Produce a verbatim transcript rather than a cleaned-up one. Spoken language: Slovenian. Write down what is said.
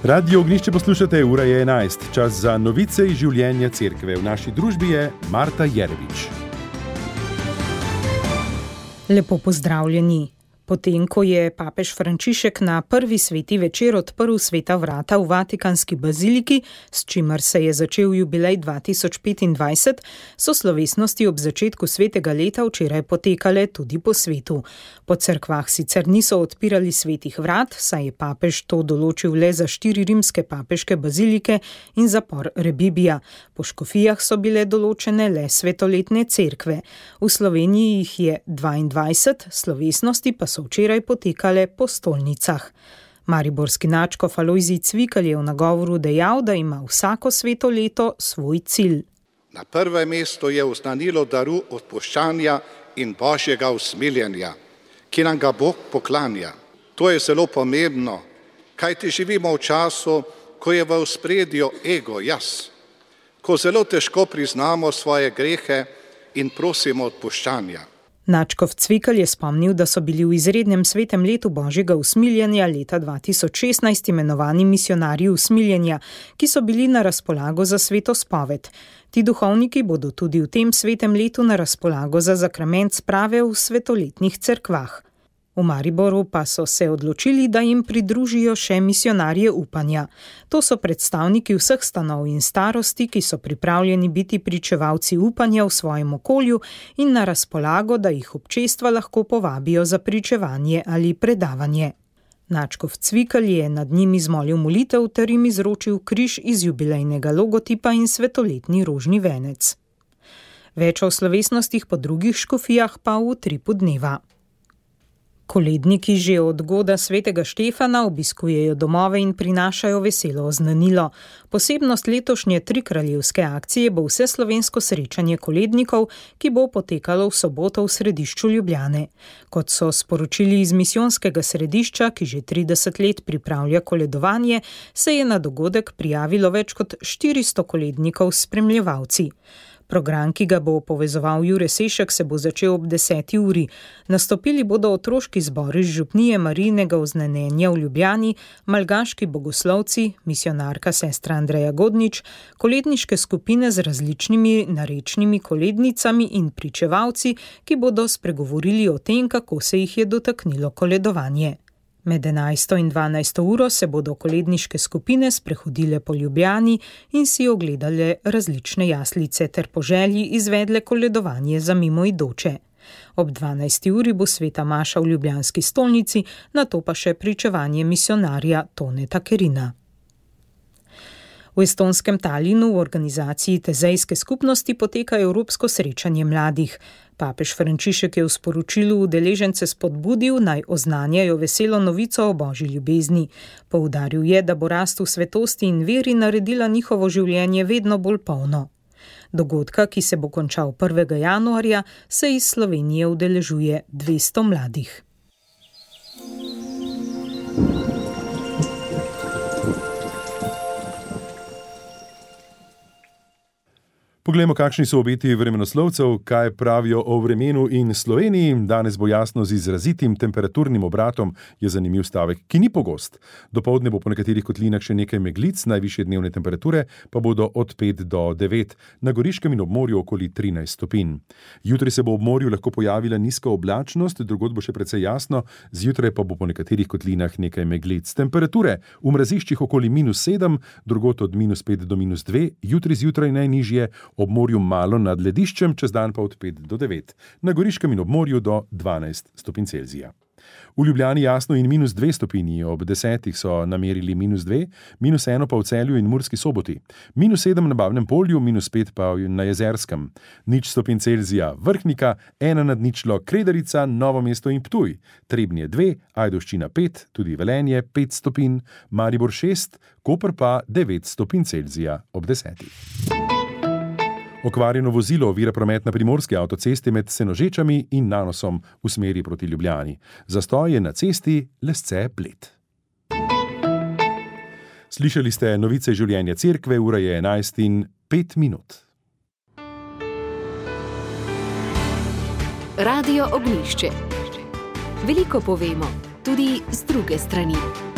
Radio Ognjišče poslušate, ura je enajst, čas za novice iz življenja cerkve. V naši družbi je Marta Jerevič. Lepo pozdravljeni. Potem, ko je papež Frančišek na prvi sveti večer odprl sveta vrata v Vatikanski baziliki, s čimer se je začel jubilej dva tisoč petindvajset, so slovesnosti ob začetku svetega leta včeraj potekale tudi po svetu. Po cerkvah sicer niso odpirali svetih vrat, saj je papež to določil le za štiri rimske papeške bazilike in zapor Rebibija. Po škofijah so bile določene le svetoletne cerkve. V Sloveniji jih je dvaindvajset, slovesnosti pa so včeraj potekale po stolnicah. Mariborski nadškof Alojzij Cvikl je v nagovoru dejal, da ima vsako sveto leto svoj cilj. Na prvem mestu je oznanilo daru odpuščanja in božjega usmiljenja, ki nam ga Bog poklanja. To je zelo pomembno, kajti živimo v času, ko je v ospredju ego, jaz, ko zelo težko priznamo svoje grehe in prosimo odpuščanja. Nadškof Cvikl je spomnil, da so bili v izrednem svetem letu božjega usmiljenja leta dva tisoč šestnajst imenovani misionarji usmiljenja, ki so bili na razpolago za sveto spoved. Ti duhovniki bodo tudi v tem svetem letu na razpolago za zakrament sprave v svetoletnih cerkvah. V Mariboru pa so se odločili, da jim pridružijo še misionarje upanja. To so predstavniki vseh stanov in starosti, ki so pripravljeni biti pričevalci upanja v svojem okolju in na razpolago, da jih občestva lahko povabijo za pričevanje ali predavanje. Nadškof Cvikl je nad njim izmolil molitev ter jim izročil križ iz jubilejnega logotipa in svetoletni rožni venec. Več o slovesnostih po drugih škofijah pa v utripu dneva. Koledniki že od goda svetega Štefana obiskujejo domove in prinašajo veselo oznanilo. Posebnost letošnje trikraljevske akcije bo vseslovensko srečanje kolednikov, ki bo potekalo v soboto v središču Ljubljane. Kot so sporočili iz misijonskega središča, ki že trideset let pripravlja koledovanje, se je na dogodek prijavilo več kot štiristo kolednikov s spremljevalci. Program, ki ga bo povezoval Jure Sešek, se bo začel ob deseti uri. Nastopili bodo otroški zbor iz župnije Marijinega oznanjenja v Ljubljani, malgaški bogoslovci, misionarka sestra Andreja Godnič, koledniške skupine z različnimi narečnimi kolednicami in pričevalci, ki bodo spregovorili o tem, kako se jih je dotaknilo koledovanje. Med enajsto in dvanajsto uro se bodo koledniške skupine sprehodile po Ljubljani in si ogledale različne jaslice ter po želji izvedle koledovanje za mimoidoče. Ob dvanajsti uri bo sveta maša v ljubljanski stolnici, nato pa še pričevanje misionarja Toneta Kerina. V estonskem Talinu v organizaciji Tezejske skupnosti poteka evropsko srečanje mladih. Papež Frančišek je v sporočilu udeležence spodbudil, naj oznanjajo veselo novico o božji ljubezni. Poudaril je, da bo rast v svetosti in veri naredila njihovo življenje vedno bolj polno. Dogodka, ki se bo končal prvega januarja, se iz Slovenije udeležuje dvesto mladih. Poglejmo, kakšni so obeti vremenoslovcev, kaj pravijo o vremenu in Sloveniji. Danes bo jasno z izrazitim temperaturnim obratom, je zanimiv stavek, ki ni pogost. Dopoldne bo po nekaterih kotlinah še nekaj meglic, najvišje dnevne temperature pa bodo od pet do devet, na Goriškem in ob morju okoli trinajst stopinj. Jutri se bo ob morju lahko pojavila nizka oblačnost, drugod bo še precej jasno, zjutraj pa bo po nekaterih kotlinah nekaj meglic. Temperature v mraziščih okoli minus sedem, drugod od minus pet do minus dve, jutri zjutraj najnižje, ob morju malo nad lediščem, čez dan pa od pet do devet, na Goriškem in ob morju do dvanajst stopinj Celzija. V Ljubljani jasno in minus dve stopinji, ob desetih so namerili minus dve, minus eno pa v Celju in Murski Soboti, minus sedem na Bavnem polju, minus pet pa na Jezerskem, nič stopinj Celzija Vrhnika, ena nad ničlo Kredarica, Novo mesto in Ptuj, Trebnje dve, Ajdovščina pet, tudi Velenje pet stopinj, Maribor šest, Koper pa devet stopinj Celzija ob desetih. Okvarjeno vozilo ovira promet na primorski avtocesti med Senožečami in Nanosom v smeri proti Ljubljani. Zastoj je na cesti Lesce-Bled. Slišali ste novice življenja cerkve, ura je enajst in pet minut. Radio Ognjišče. Veliko povemo, tudi z druge strani.